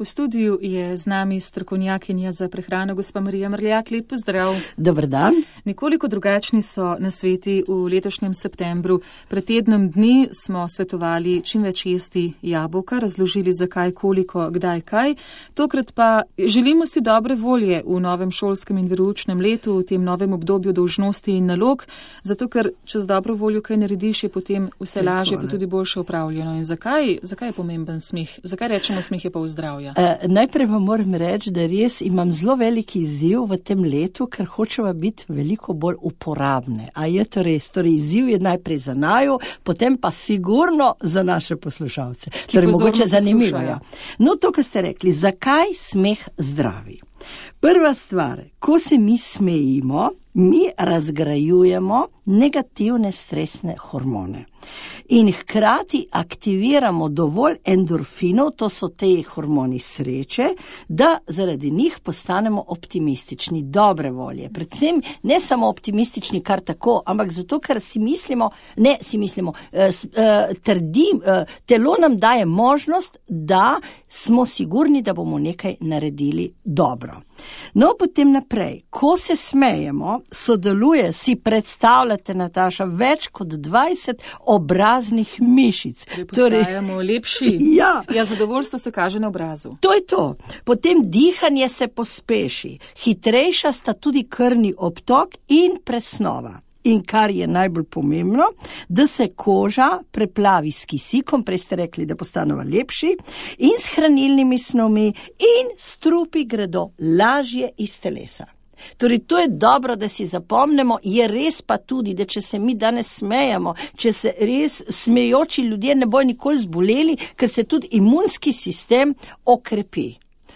V studiu je z nami strokovnjakinja za prehrano gospa Marija Mrljak. Lep pozdrav. Dober dan. Nekoliko drugačni so nasveti v letošnjem septembru. Pred tednom dni smo svetovali čim več jesti jabolka, razložili zakaj, koliko, kdaj, kaj. Tokrat pa želimo si dobre volje v novem šolskem in veroučnem letu, v tem novem obdobju dolžnosti in nalog, zato ker če z dobro voljo kaj narediš, je potem vse lažje, pa tudi boljše upravljeno. In zakaj je pomemben smeh? Zakaj rečemo, smeh je pa v zdravju? Najprej vam moram reči, da res imam zelo veliki izziv v tem letu, ker hočeva biti veliko bolj uporabne. A je to res? Torej, izziv je najprej za naju, potem pa sigurno za naše poslušalce. Torej, mogoče zanimivo. Ja. No, to, kar ste rekli, zakaj smeh zdravi? Prva stvar, ko se mi smejimo, mi razgrajujemo negativne stresne hormone. In hkrati aktiviramo dovolj endorfinov, to so te hormoni sreče, da zaradi njih postanemo optimistični, dobre volje. Predvsem ne samo optimistični kar tako, ampak zato, ker telo nam daje možnost, da smo sigurni, da bomo nekaj naredili dobro. No, potem naprej, ko se smejemo, sodeluje, si predstavljate, Nataša, več kot 20 obraznih mišic. Postajamo lepši. Ja, zadovoljstvo se kaže na obrazu. To je to. Potem dihanje se pospeši. Hitrejša sta tudi krvni obtok in presnova. In kar je najbolj pomembno, da se koža preplavi s kisikom, prej ste rekli, da postanemo lepši, in s hranilnimi snovmi, in strupi gredo lažje iz telesa. Torej, to je dobro, da si zapomnimo, je res pa tudi, da če se mi danes smejamo, če se res smejoči ljudje ne bojo nikoli zboleli, ker se tudi imunski sistem okrepi.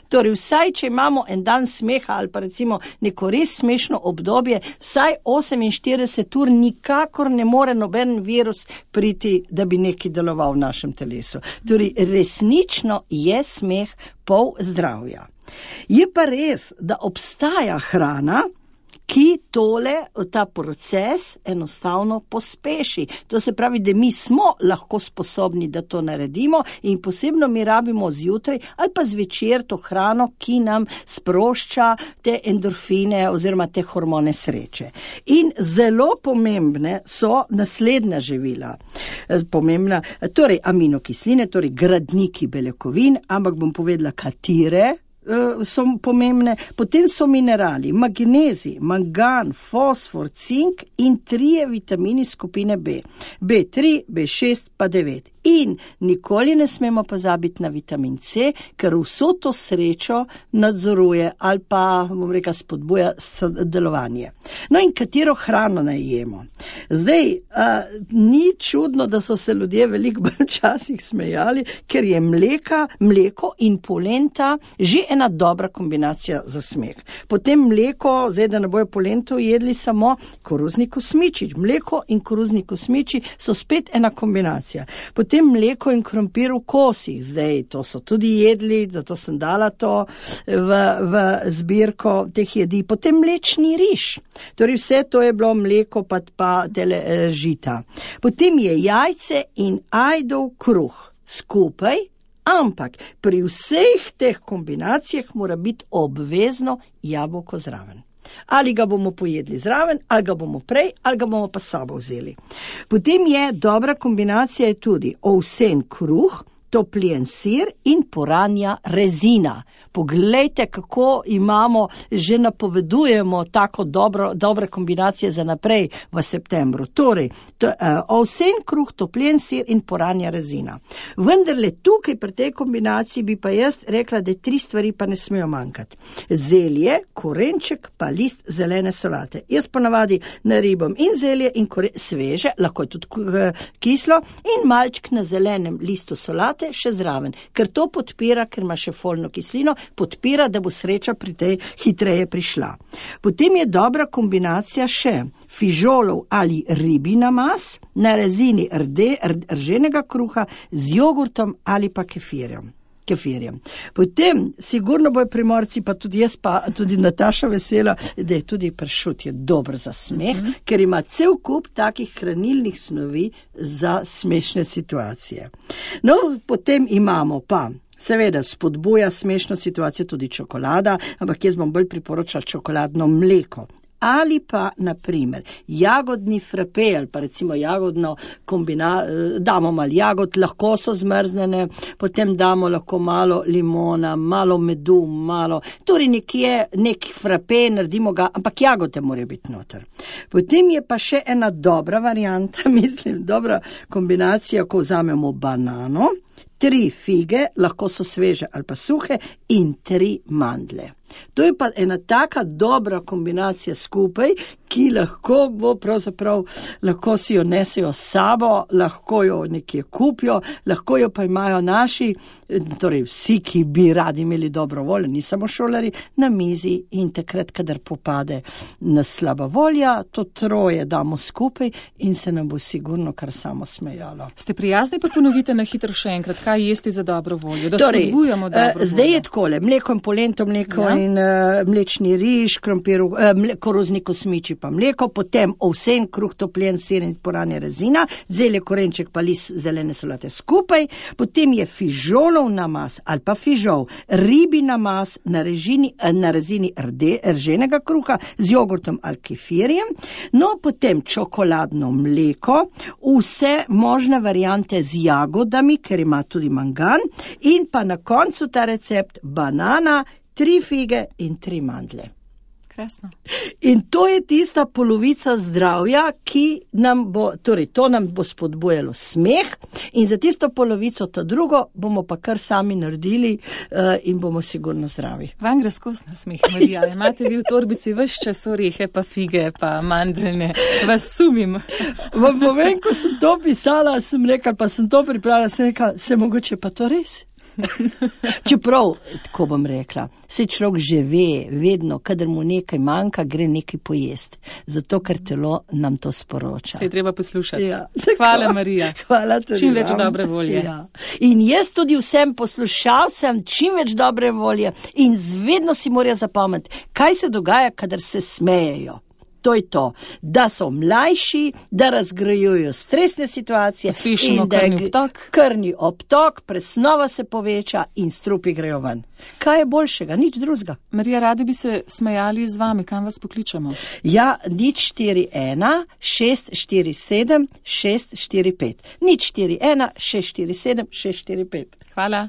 Torej, vsaj, če imamo en dan smeha ali pa recimo neko res smešno obdobje, vsaj 48 ur nikakor ne more noben virus priti, da bi nekaj deloval v našem telesu. Torej, resnično je smeh pol zdravja. Je pa res, da obstaja hrana, ki ta proces enostavno pospeši. To se pravi, da mi smo lahko sposobni, da to naredimo in posebno mi rabimo zjutraj ali pa zvečer to hrano, ki nam sprošča te endorfine oziroma te hormone sreče. In zelo pomembne so naslednja živila. Torej aminokisline, torej gradniki beljakovin, ampak bom povedala, katere so pomembne. Potem so minerali, magnezij, mangan, fosfor, cink in 3 vitamini skupine B. B3, B6 pa 9. In nikoli ne smemo pozabiti na vitamin C, ker vso to srečo nadzoruje ali pa, bom rekla, spodbuja delovanje. No in katero hrano naj jemo? Zdaj, ni čudno, da so se ljudje veliko bolj časih smejali, ker je mleko in polenta že ena dobra kombinacija za smeh. Potem mleko, zdaj da ne bojo polento jedli samo koruzni kosmiči. Mleko in koruzni kosmiči so spet ena kombinacija. Potem mleko in krompir v kosih, zdaj to so tudi jedli, zato sem dala to v zbirko teh jedi. Potem mlečni riž, torej vse to je bilo mleko pa žita. Potem je jajce in ajdov kruh skupaj, ampak pri vseh teh kombinacijah mora biti obvezno jabolko zraven. Ali ga bomo pojedli zraven, ali ga bomo prej, ali ga bomo pa sabo vzeli. Potem je dobra kombinacija tudi ovsen kruh, topljen sir in poranja rezina. Poglejte, kako imamo, že napovedujemo tako dobre kombinacije za naprej v septembru. Torej, ovsen kruh, topljen sir in poranja rezina. Vendarle tukaj pri tej kombinaciji bi pa jaz rekla, da 3 stvari pa ne smejo manjkati. Zelje, korenček pa list zelene solate. Jaz ponavadi naribam in zelje in sveže, lahko je tudi kislo, in malček na zelenem listu solate še zraven, ker to podpira, ker ima še folno kislino, podpira, da bo sreča pri tej hitreje prišla. Potem je dobra kombinacija še fižolov ali ribina mas na rezini rženega kruha z jogurtom ali pa kefirjem. Potem sigurno bojo Primorci, pa tudi jaz, pa tudi Nataša vesela, da je tudi pršut je dober za smeh, ker ima cel kup takih hranilnih snovi za smešne situacije. No, potem imamo pa Seveda, spodbuja smešno situacijo tudi čokolada, ampak jaz bom bolj priporočala čokoladno mleko. Ali pa, na primer, jagodni frape ali pa recimo jagodno damo malo jagod, lahko so zmrznjene, potem damo lahko malo limona, malo medu, torej nek frape, naredimo ga, ampak jagode morajo biti noter. Potem je pa še ena dobra varianta, dobra kombinacija, ko vzamemo banano, 3 fige, lahko so sveže ali pa suhe, in 3 mandlje. To je pa ena taka dobra kombinacija skupaj, ki lahko si jo nesejo s sabo, lahko jo nekje kupijo, lahko jo pa imajo naši, torej vsi, ki bi radi imeli dobro voljo, ni samo šolari, na mizi in takrat, kadar popade nas slaba volja, to 3 damo skupaj in se nam bo sigurno kar samo smejalo. Ste prijazni, pa ponovite na hitro še enkrat, kaj jesti za dobro voljo, da spodbujamo dobro voljo. Zdaj je takole, mleko in polento mleko in mlečni riž, krompir, koruzni kosmiči pa mleko, potem ovsen, kruh, topljen sir in poranja rezina, zelje, korenček pa list zelene solate skupaj, potem je fižolov namaz ali pa fižol, ribi namaz na rezini rženega kruha z jogurtom ali kefirjem, no potem čokoladno mleko, vse možne variante z jagodami, ker ima tudi mangan, in pa na koncu ta recept banana, 3 fige in 3 mandlje. Krasno. In to je tista polovica zdravja, ki nam bo, torej to nam bo spodbujalo smeh, in za tisto polovico, to drugo, bomo pa kar sami naredili in bomo sigurno zdravi. Vam gre skozi na smeh, Marija. Imate vi v torbici ves čas orehe, pa fige, pa mandeljne. Vas sumim. Vam povem, ko sem to pisala, sem rekla, pa sem to pripravila, sem rekla, se mogoče pa to res? Čeprav, tako bom rekla, se človek že ve, vedno, kadar mu nekaj manjka, gre nekaj pojesti. Zato, ker telo nam to sporoča. Se je treba poslušati. Ja, hvala, Marija. Hvala tudi čim več dobre volje. Ja. In jaz tudi vsem poslušalcem čim več dobre volje in vedno si morajo zapomniti, kaj se dogaja, kadar se smejejo. To je to, da so mlajši, da razgrajujo stresne situacije in da krvni obtok, presnova se poveča in strupi grejo ven. Kaj je boljšega? Nič drugega. Marija, radi bi se smejali z vami, kam vas pokličemo? Ja, 041 647 645. 041 647 645. Hvala.